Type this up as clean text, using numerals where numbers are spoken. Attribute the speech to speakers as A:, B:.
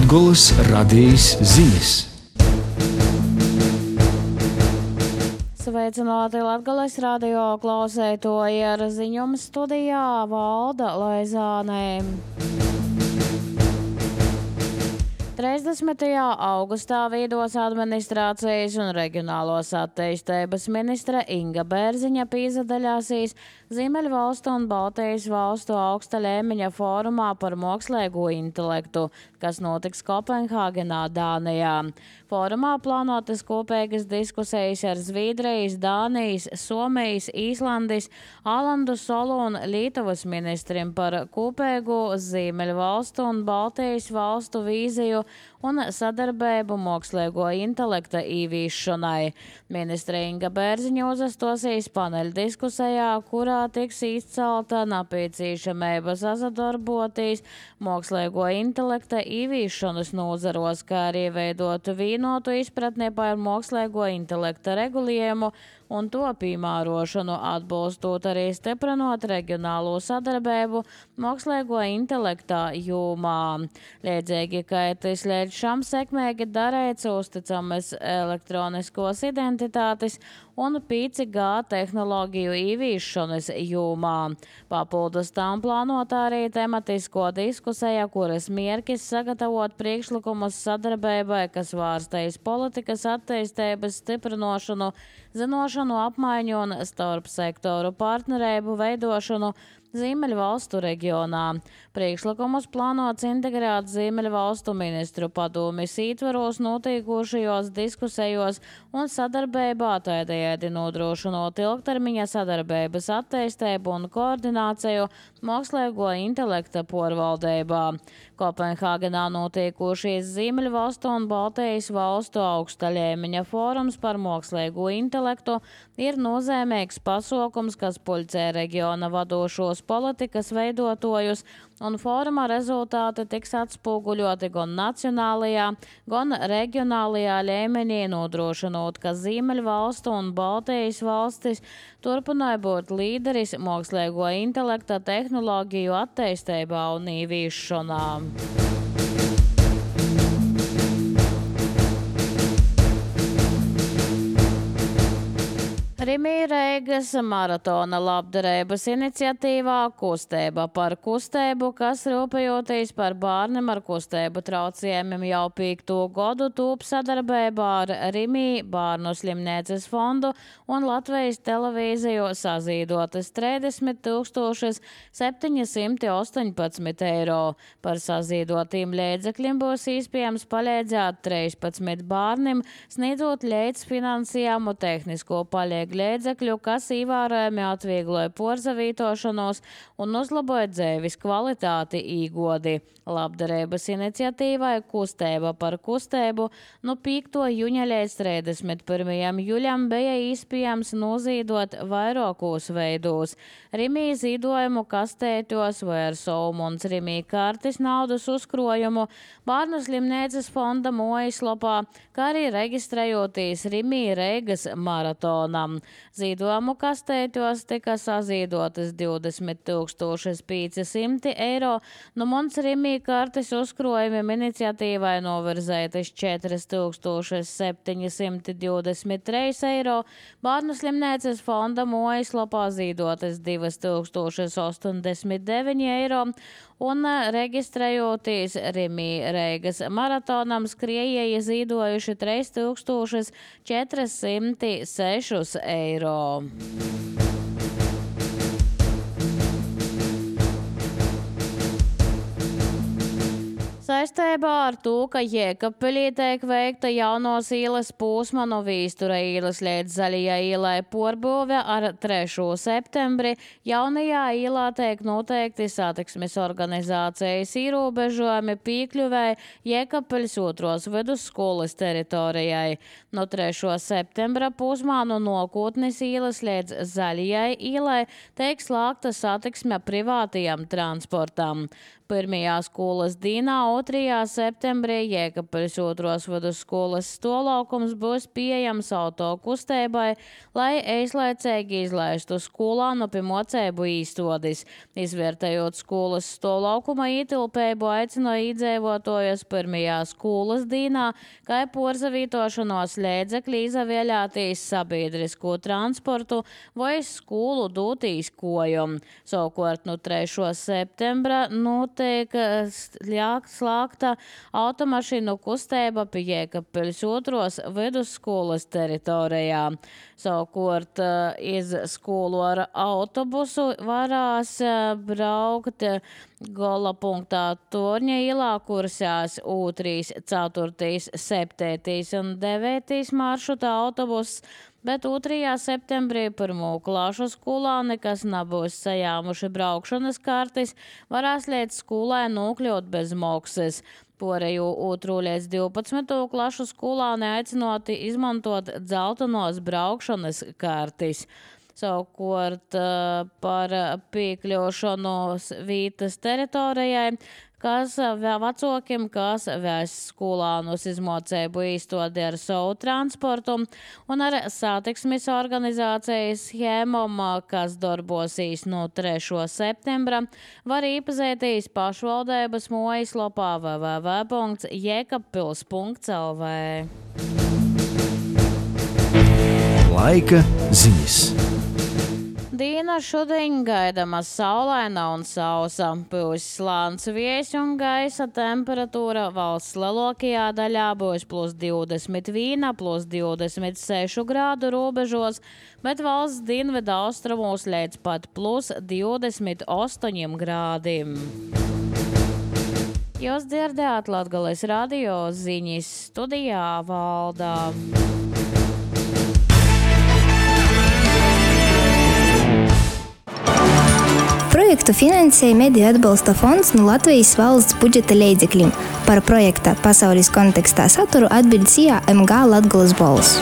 A: Latgolas radījis ziņas.
B: Sveicināti Latgales radio klausētoji, ar ziņām studijā Valda Laizānē. 30. augustā Vīdos administrācijas un reģionālos attīstības ministre Inga Bērziņa piedalīsies Ziemeļvalstu un Baltijas valstu augsta līmeņa fórumā par mākslīgo intelektu, kas notiks Kopenhāgenā, Dānijā. Fórumā plānotas kopīgas diskusijas ar Zviedrijas, Dānijas, Somijas, Īslandes, Alandu Solu un Lietuvas ministriem par kopīgu Ziemeļvalstu un Baltijas valstu vīziju un sadarbību mākslīgo intelekta īvīšanai. Ministre Inga Bērziņa uzastosīs paneļa diskusijā, kurā tiks izcelta nepieciešamība sadarboties mākslīgo intelekta īvīšanas nozaros, kā arī veidot vienotu izpratni par mākslīgo intelekta regulējumu un to piemērošanu, atbalstot arī stiprinot reģionālo sadarbību mākslīgo intelektā jomā. Līdzīgi, kā tas līdz šam sekmīgi darīts uzticamas elektroniskos identitātes un 5G tehnoloģiju īvīšanas jomā. Papildus tam plānota arī tematisko diskusija, kuras mērķis sagatavot priekšlikumus sadarbībai, kas vārstīs politikas attīstības stiprinošanu, zinošanu apmaiņu un starp sektoru partnerību veidošanu Ziemeļvalstu reģionā. Priekšlikumus plānots integrēt Ziemeļvalstu ministru padomes ietvaros notiekošajos diskusijos un sadarbībā, tādējādi nodrošinot ilgtermiņa sadarbības attīstību un koordināciju mākslīgo intelekta porvaldībā. Kopenhāgenā notiekošies Ziemeļvalstu un Baltijas valstu augsta līmeņa fórums par mākslīgo intelektu ir nozīmīgs pasākums, kas pulcē reģiona vadošos politikas veidotājus, un fóruma rezultāti tiks atspoguļoti gan nacionālajā, gan reģionālajā līmenī, nodrošinot, ka Ziemeļvalstu un Baltijas valstis turpināja būt līderis mākslīgo intelekta tehnoloģiju attīstībā un īvīšanā. Rimī Reigas maratona labdarības iniciatīvā Kustība par kustību, kas rūpējoties par bērniem ar kustību traucējumiem jau 5. gadu tūp sadarbībā ar Rimī bērnu slimnīcas fondu un Latvijas televīziju sazīdotas 30 718 eiro. Par sazīdotiem līdzekļiem būs iespējams palīdzēt 13 bērniem, sniedzot līdzfinansējumu tehnisko palīdzību līdzekļu, kas ievērojami atviegloja porzavītošanos un uzlaboja dzīves kvalitāti īgodi. Labdarības iniciatīvai Kustība par kustību no 5. jūņa līdz 31. jūļam bija iespējams nozīdot vairākos veidos. Rimī zīdojumu kastētos vai ar Solmuns Rimī kartes naudas uzkrojumu, bērnu slimnīcas fonda mājaslapā, kā arī reģistrējoties Rimī Reigas maratonam. Zīdojumu kastētos tika sazīdotas 20 500 eiro, no mums Rimī kartes uzkrojumiem iniciatīvai novirzētas 4 723 eiro, bērnu slimnīcas fonda mājaslapā zīdotas 2089 eiro un reģistrējoties Rimī Reigas maratonam skriejēji zīdojuši 3406 eiro. Saistībā ar to, ka Jēkabpilī tiek veikta jaunos ielas posma no Vīstura ielas līdz Zaļajai ielai porbūve ar 3. septembri, jaunajā ielā tiek noteikti satiksmes organizācijas ierobežojumi piekļuvēji Jēkabpiļas 2. vidusskolas teritorijai. No 3. septembra posmā no Nokotnes ielas līdz Zaļajai ielai tiek slēgta satiksme privātajam transportam. Pirmajā skolas dienā 2. septembrī Jēkabpeļs 2. vidusskolas stolaukums būs pieejams autokustībai, lai īslaicīgi izlaistu skolānu pie moceibu īstodis. Izvērtējot skolas stolaukuma ietilpību, aicina iedzīvotājus pirmajā skolas dienā, kā porzavītošanos līdzekļi izvēlēties sabiedrisko transportu vai skolu dūtīs kojumu. Savukārt no 3. septembra tiek slēgta automašīnu kustība pie Jēkabpeļs 2. vidusskolas teritorijā. Savukārt iz skolu ar autobusu varās braukt Gola punktā Torņa ielā kursās 2., 4., 7. un 9. maršruta autobuss, bet 2. septembrī 1. klāšu skolāni, kas nebūs sajāmuši braukšanas kartis, varēs līdz skolai nokļūt bez maksas. Pārējo 2. līdz 12. klašu skolāni aicinoti izmantot dzeltenos braukšanas kartis. Savukārt par piekļūšanu vītas teritorijai, kas vecākiem, kas vēs skolānus izmocēbu īstodi ar savu transportu un ar satiksmes organizācijas schēmām, kas darbosīs no 3. septembra, var iepazīties pašvaldības mājaslapā www.jekabpils.lv.
A: Laika ziņas.
B: Diena šodien gaidama saulaina un sausa. Būs slāns viejs un gaisa temperatūra valsts lielākajā daļā būs +21, +26 grādu robežos, bet valsts dienvidu austrumos līdz pat +28 grādiem. Jūs dzirdējāt Latgales radio ziņas, studijā Valdā.
C: Projektu finansēja Mediju atbalsta fonds no Latvijas valsts budžeta līdzekļiem. Par projekta pasaules kontekstā saturu atbild SIA MG Latgales balss.